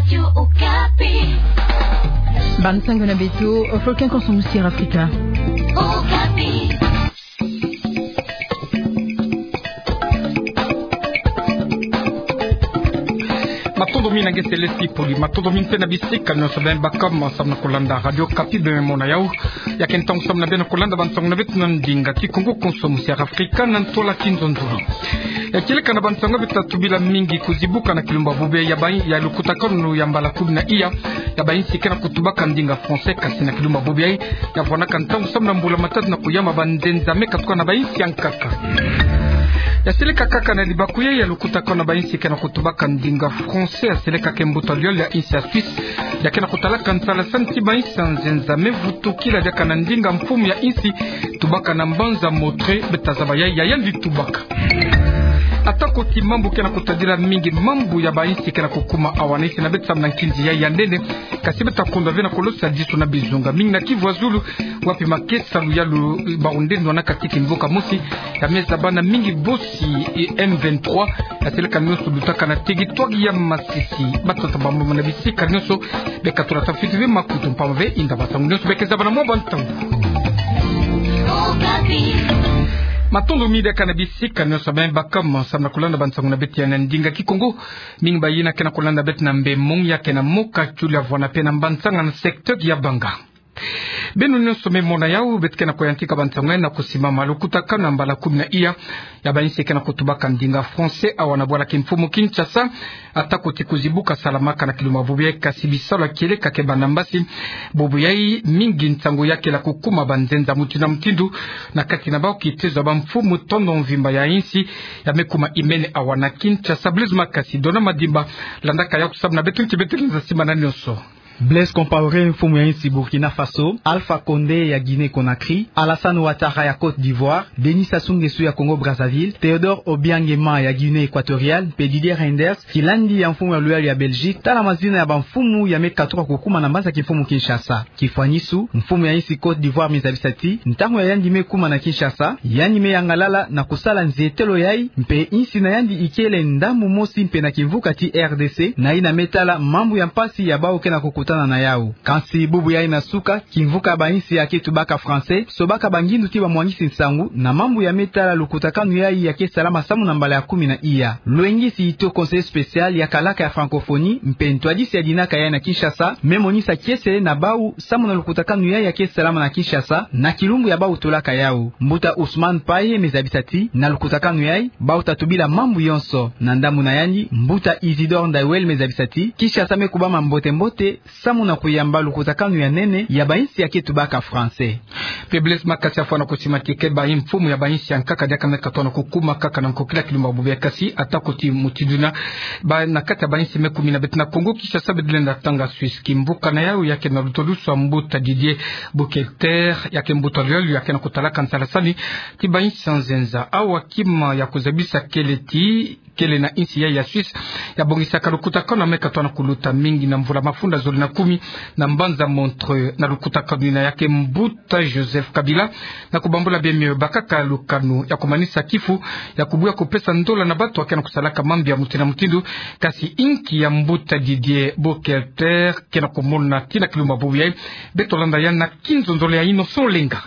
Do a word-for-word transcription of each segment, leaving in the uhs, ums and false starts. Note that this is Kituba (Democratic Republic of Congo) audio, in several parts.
Radio Okapi. Bansango na beto, Africain Conso Musique Africa. Okapi. Matondo mingi na nge Celeste Poli, matondo mingi mpe na bisika nyonso beno baka mo samu na kolanda Radio Okapi, beno mona yau. Ya ke ntangu samu na beno kolanda bansango na beto na ndinga Kikongo, Conso Musique Africa, na ntwala kinzonzolo. Ya kieleka na bansango beto tatubila mingi kuzibuka na kilumbu bubu ya bayi ya lukutakanu ya mbala kumi na iya ya bayinsi ke na kutubaka ndinga français, kasi na kilumbu bubu ya, ya vwanaka ntangu samu na mbula matatu na kuyama banzenza me katuka na bayinsi ya nkaka. Ya seleka kaka na libaku ya, ya lukutakanu na bayinsi ke na kutubaka ndinga français, ya seleka ke mbuta liole ya insi ya Suisse, ya ke na kutalaka nsalasani ti bayinsi ya nzenza me vutukila diaka na ndinga mfumu ya insi tubaka na mbanza Montreux, beto tazaba ya, ya yandi tubaka. Atako ti mambu ke na kutadila mingi mambu ya bayinsi ke na kukuma awa na insi na beto samu na nkinzi ya, ya nene, kasi beto takondwa ve na kolosa disu na bizunga mingi na Kivu ya Zulu, wapi makesa luyalu baundendwa na kati kimvuka mosi, ya me zaba na mingi bosi, eh, M vingt-trois, ya seleka nyonso lutaka na territoire ya Masisi. Batata bamama na bisika nyonso, beka tulata fiti ve makutu mpamba ve inda bansango nyonso beka zabana mwa bantangu. Matondo mingi diaka na bisika nyonso beno baka mo samu na kolanda bansango na beto ya na ndinga Kikongo. Mingi bayina ke na kolanda beto na Mbemong, ya ke na Mokakula, vwana mpe na Mbantsanga na secteur ya Banga. Beno nyonso me mona yau, beto ke na kuyantika bansango na kusimama. Lukutakanu ya mbala kumi na iya ya bayinsi ke na kutubaka ndinga français awa na bwala kimfumu Kinshasa, atako ti kuzibuka salamaka na kilumbu bubu ya, kasi bisalu ya kieleka ke banda mbasi. Bubu ya mingi nsangu ya kela kukuma banzenza mutindu na mutindu, na kati na bawu kitezo ya bamfumu tono mvimba ya insi, ya me kuma imene awa na Kinshasa. Blaise Makasi, Dona Madimba, landaka yau samu na beto nti beto lenza simana nyonso. Blaise Compaoré, mfumu ya insi Burkina Faso, Alpha Condé ya Guinée-Conakry, Alassane Ouattara ya Côte d'Ivoire, Denis Sassou Nguesso ya Congo-Brazzaville, Théodore Obiang Nguema ya Guinée Équatoriale, mpe Didier Reynders, kilandi ya mfumu ya luyalu ya Belgique, tala mazina ya bamfumu ya me katuka kukuma na mbanza kimfumu Kinshasa. Kifwanisu, mfumu ya insi Côte d'Ivoire me zabisa ti, ntangu ya yandi me kuma na Kinshasa, yandi me yangalala na kusala nzietelo yayi, mpe insi na yandi ikele ndambu mosi mpe na kimvuka ti R D C, na yina me tala mambu ya mpasi ya bawu ke na kukutana na yau. Kansi bubu yayi na suka, kimvuka ya bayinsi ya ke tubaka français sobaka bangindu ti bamwangisi nsangu na mambu ya me tala lukutakanu yayi ya ke salama samu na mbala ya kumi na iya. Lwengisi Ito, conseiller spécial ya kalaka ya francophonie mpe ntwadisi ya dinaka yayi na Kinshasa, me monisa kiese na bawu samu na lukutakanu yayi ya ke salama na Kinshasa na kilumbu ya bawu tulaka yau. Mbuta Ousmane Paye me zabisa ti, na lukutakanu yayi, bawu tatubila mambu yonso. Na ndambu na yandi, mbuta Isidore Ndaiwel me zabisa ti, Kinshasa me kubama mbote-mbote samu na kuyamba lukutakanu ya nene ya bayinsi ya ke tubaka français. Mpe Blaise Makasi afwana kusima ti ke bayi mfumu ya bayinsi ya nkaka diaka me katona kukuma kaka na nkokila kilumbu bubu ya, kasi atako ti mutindu yina, ba na kati ya bayinsi me kumi na beto na Congo Kinshasa, beto lenda tanga Suisse. Kimvuka na yau ya ke na lutodusu ya mbuta Didier Boukelter, ya ke mbuta luyalu ya ke na kutalaka nsalasani ti bayinsi ya nzenza. Awa kima ya kuzabisa kele ti kele na insi ya, ya Suisse, ya bongisaka lukutakanu ya me katona kuluta mingi na mvula mafunda zole na kumi na mbanza Montreux. Na lukutakanu yina ya ke mbuta Joseph Kabila, na kubambula bima bakaka lukanu ya kumanisa kifu, ya kubuya kupesa ndola na bato ya ke na kusalaka mambu ya mutindu na mutindu, kasi inki ya mbuta Didier Boukelter ke na kumona ti na kilumbu bubu yayi, beto landa ya na kinzonzolo ya Innocent Olenga.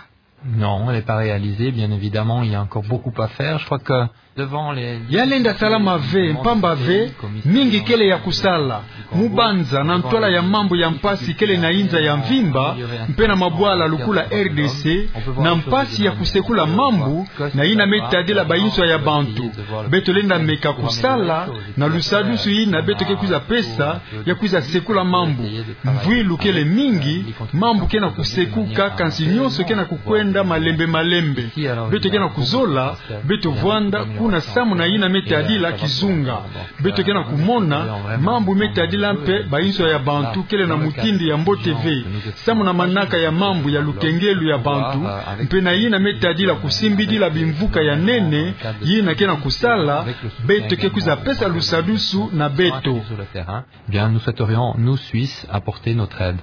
Non, elle n'est pas réalisée, bien évidemment, il y a encore beaucoup à faire. Je crois que devant les... Ya lenda salama ve, mpamba ve, mingi kele ya kusala. Mu banza, na ntwala ya mambu ya mpasi kele na inza ya mvimba, mpe na mabwala lukula R D C, na mpasi ya kusekula mambu na yina me tadila bayinswa ya bantu. Beto lenda meka kusala na lusadusu yina beto ke kwiza pesa, ya kwiza sekula mambu. Mvwilu kele mingi, mambu ke na kusekuka, kansi nyonso ke na kukwenda malembe malembe. Beto ke na kuzola, beto vwanda kuna samu na yina me tadila kizunga. Beto ke na kumona mambu me tadila mpe bayinswa ya bantu kele na mutindu ya mbote ve, samu na manaka ya mambu ya lukengelu ya bantu, mpe na yina me tadila kusimbidila bimvuka ya nene yina ke na kusala. Beto ke kwiza pesa lusadusu na beto. Bien, nous souhaiterions, nous, Suisses, apporter notre aide.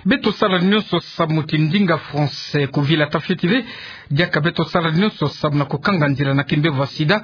Beto sala nionso samu ti ndinga français kuvila tafioti ve, diaka beto sala nionso samu na kukanga nzila na kimbevo ya sida.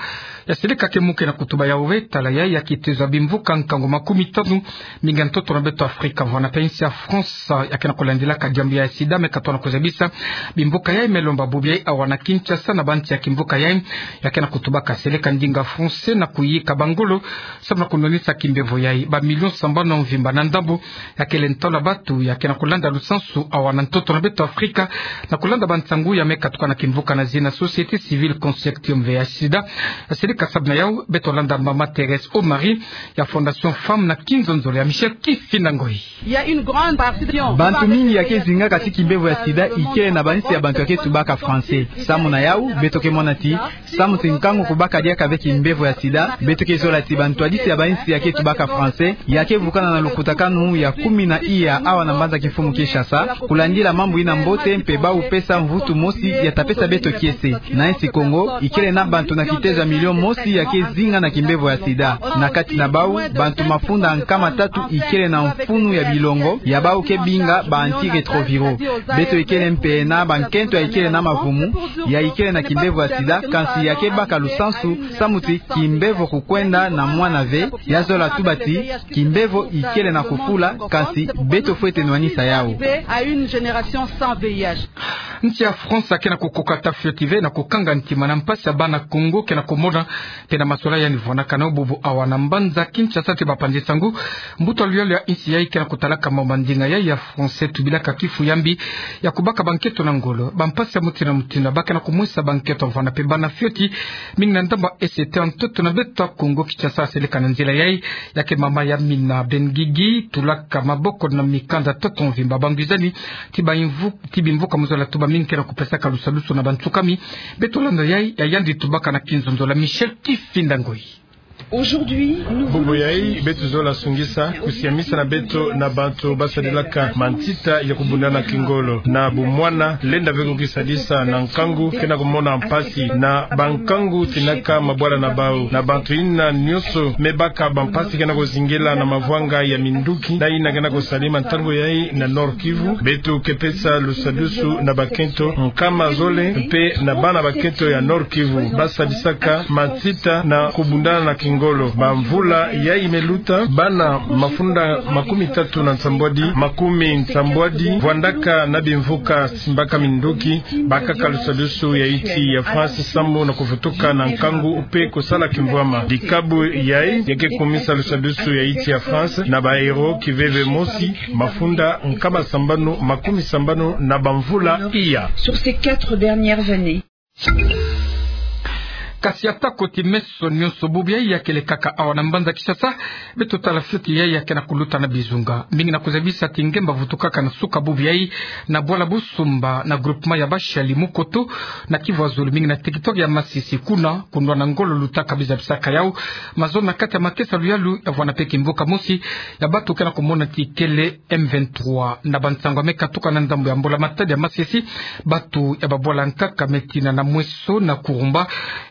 Ya seleka ke mu ke na kutuba yawu ve, tala yayi ya kitezo ya bimvuka nkangu makumi tanu, mingi ya ntoto na beto Afrika, vwanda mpe insi ya France, ya ke na kulandilaka diambu ya sida, me katona kuzabisa bimvuka yayi me lomba bubu yayi awa na Kinshasa na bansi ya kimvuka yayi, ya ke na kutubaka seleka ndinga français na kuyika bangolo samu na kunwanisa kimbevo yayi. Ba million sambanu mvimba na ndambu ya kele ntwala bantu ya ke na kulanda lusansu awa na ntoto na beto Afrika, na kulanda bansangu ya me katuka na kimvuka na zina Société Civile Consortium V I H sida. Ya seleka samu na yawu, beto landa mama Thérèse Omari ya Fondation Femmes na kinzonzolo ya Michel Kifinda Ngoyi. Bantu mingi ya ke zingaka ti kimbevo ya sida ikele na bansi ya bantu ya ke tubaka français. Samu na yawu, beto ke mona ti samu ti nkangu kubaka diaka ve kimbevo ya sida, beto ke zola ti bantwadisi ya bansi ya ke tubaka français ya ke vukana na lukutakanu ya kumi na iya awa na mbanza kimfumu Kinshasa, kulandila mambu ina mbote mpe bawu pesa mvutu mosi ya ta pesa beto kiese. Na insi Kongo, ikele na bantu na kitezo ya million mosi ya ke zinga na kimbevo ya sida. Na kati na bawu, bantu mafunda nkama tatu ikele na mfunu ya bilongo ya bawu ke binga ba antirétroviraux. Beto ikele mpe na bankento ya ikele na mavumu ya ikele na kimbevo ya sida, kansi ya ke baka lusansu samu ti kimbevo kukwenda na mwana ve. Ya zola tuba ti kimbevo ikele na kufula, kansi beto fwete nwanisa yawu. Nsi ya France ya ke na kukoka tafioti ve na kukanga ntima na mpasi ya bana Kongo ke na kumona mpe na masolani ya ni vwandaka na bubu awa na mbanza Kinshasa ti bapanzi sangu. Mbuta luyalu ya insi yayi ke na kutalaka mambu ya ndinga yayi ya français tubilaka kifu ya mbi ya kubaka bankento na ngolo. Bampasi ya mutindu na mutindu ba ke na kumwesa bankento vwanda mpe bana fioti, mingi na ndambu ya S T ya ntoto na beto Kongo Kinshasa. Ya seleka na nzila yayi, ya ke mama Yamina Ben Guigui tulaka maboko na mikanda ntoto mvimba bangwizani ti ba imvu-, ti bimvuka mu zola tuba mingi ke na kupesaka lusadusu na bansukami. Beto landa yayi, ya yandi tubaka na kinzonzolo ya Michel Kifinda Ngoyi. Bubu yayi, beto zola sungisa kusiamisa na beto na bantu basadilaka mantita ya kubundana kingolo na bumwana, lenda ve kukisadisa na nkangu ke na kumona mpasi na bankangu tinaka mabwala na bawu. Na bantu ina nionso me baka bampasi ke na kuzingela na mavwanga ya minduki na ina ke na kusalema ntangu yayi na Nord-Kivu, beto ke pesa lusadusu na bakento nkama zole mpe na bana bakento ya Nord-Kivu basadisaka mantita na kubundana na kingolo. Bamvula yayi me luta, bana mafunda makumi tatu na nsambwadi, makumi nsambwadi vwandaka na bimvuka simbaka minduki, bakaka lusadusu ya insi ya France samu na kuvutuka na nkangu mpe kusala kimvwama. Dikabu yayi ya ke kumisa lusadusu ya insi ya France na ba héros kiveve mosi, mafunda nkama sambanu makumi sambanu na bamvula iya. Sur ces quatre dernières années. Kasi atako ti meso nionso bubu yayi ya kele kaka awa na mbanza Kinshasa, beto tala fioti yayi ya ke na kuluta na bizunga. Mingi na kuzabisa ti ngemba vutukaka na suka bubu yayi na bwala Busumba na groupement ya Bashali Mukoto na Kivu ya zulu, mingi na territoire ya Masisi, kuna kunwana ngolo lutaka, bizabisaka yawu mazono na kati ya makesa luyalu ya vwanda mpe kimvuka mosi ya bantu ke na kumona ti kele M vingt-trois. Na bansangu ya me katuka na ndambu ya mbula matadi ya Masisi, bantu ya babwala nkaka me tina na Mweso na Kurumba,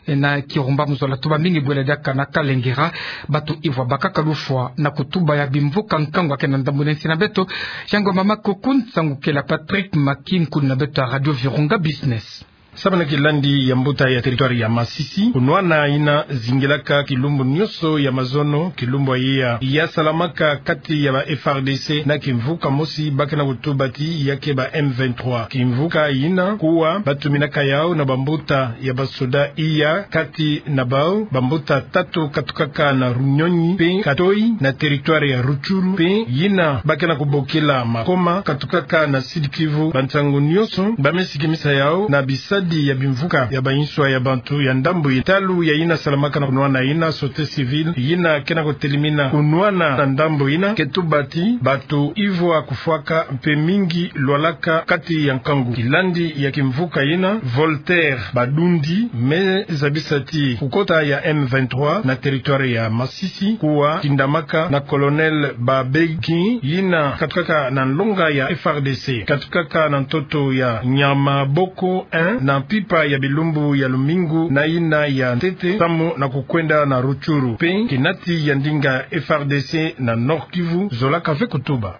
eh, na Kirumba mu zola tuba mingi bwela diaka na Kalengera, bantu ivwa bakaka lufwa na kutuba ya bimvuka nkangu ya ke na ndambu na insi na beto. Yango mama Kokun, nsangu kele ya Patrick Makim, nkuni na beto ya Radio Virunga Business. Samu na kilandi ya mbuta ya territoire ya Masisi, kunwana ina zingilaka kilumbu nionso ya mazono, kilumbu ya iya ya salamaka kati ya ba F R D C na kimvuka mosi ba ke na kutuba ti ya ke ba M vingt-trois. Kimvuka ina kuwa ba tuminaka yawu na bambuta ya basoda iya, kati na bawu bambuta tatu katukaka na Runyonyi mpe Katoi na territoire ya Rutshuru, mpe ina ba ke na kubokila Makoma katukaka na Sud-Kivu. Bansangu nionso ba me sikimisa yawu na bisadi ya bimvuka ya banswa ya bantu ya ndambu ina. Talu ya ina salamaka na kunwana ina, société civile ina ke na kutelimina kunwana na ndambu ina, ke tuba ti bantu ivwa kufwaka mpe mingi lwalaka kati ya nkangu. Kilandi ya kimvuka ina, Voltaire Badundi me zabisa ti kukota ya M vingt-trois na territoire ya Masisi kuwa tindamaka na Colonel Babeki, ina katukaka na nlonga ya F R D C, katukaka na ntoto ya Nyamaboko un na mpimpa ya bilumbu ya lumingu na ina ya ntete, samu na kukwenda na Rutshuru. Mpe kinati ya ndinga F R D C na Nord-Kivu zolaka ve kutuba.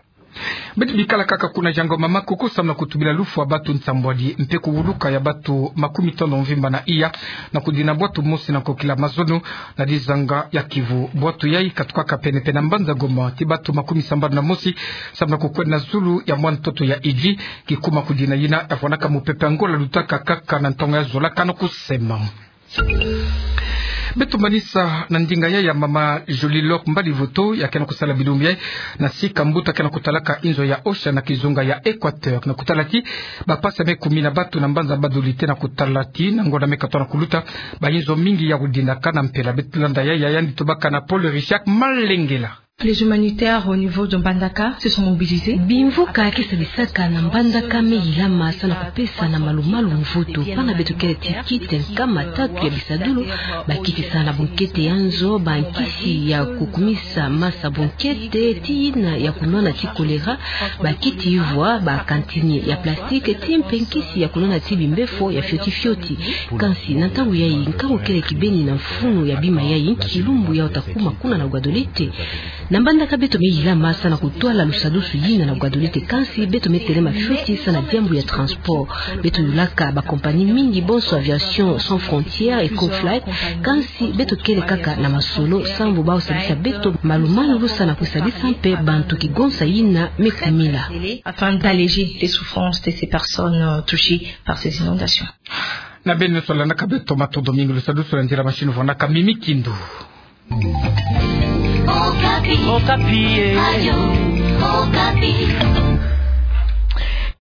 Beto bikala kaka kuna Jango Mama, kuku samu na kutubila lufwa batu nsambwadi mpe kuwuluka ya batu makumi tanu mvimba na iya, na kudina bwatu mosi na nkokila mazono na dizanga ya Kivu. Bwatu yayi katukaka pene-pene na mbanza Goma, ti batu makumi sambanu na mosi, samu na kukwenda na zulu ya mwa ntoto ya Idjwi, kikuma kudina yina yavwanaka mupepe Angola lutaka kaka na ntangu ya zola kano kusema. Beto manisa na ndinga yayi ya mama Jolie Lok Mbadi Voto, ya ke na kusala bilumbu yayi na sika mbuta ke na kutalaka inzo ya Osha na kizunga ya Equateur, na kutala ti bapasi ya me kumi na batu na mbanza Badolite, na kutala ti na ngonda me katoa na kuluta, ba inzo mingi ya kudinaka na mpela. Beto landa yayi, yandi tobaka na Paul Richard Malengela. Les humanitaires au niveau de Mbandaka se sont mobilisés. Bimvuka ke sadisaka na Mbandaka me yilama samu na kupesa na malumalu mvutu. Pana beto kele ti kiti nkama tatu ya bisadulu, bakiti samu na bunkete ya nzo, bankisi ya kukumisa masa bunkete, ti yina ya kunwana ti choléra, bakiti ivwa, bakantini ya plastique, ti mpe nkisi ya kunwana ti bimbefo ya fioti fioti. Kansi na ntangu yayi, nkangu kele kibeni na mfunu ya bima yayi, kilumbu ya uta kuma kuna na Guadeloupe. Na Mbandaka beto me yilama samu na kutwala lusadusu yina na Guadeloupe, kansi beto me telema fioti samu na diambu ya transport. Beto yulaka ba compagnie mingi, bonso Aviation Sans Frontières, Ecoflight, kansi beto kele kaka na masolo, sambu bao sadisa beto malumalu samu na kusadisa mpe bantu kigonsa yina me kumila. Afin d'alléger les souffrances de ces personnes, euh, touchées par ces inondations. Na beno sola na ka beto matondo mingi, lusadusu lwandila masini vwanaka Mimi Kindu. Okapi. Okapi, eh. Radio Okapi.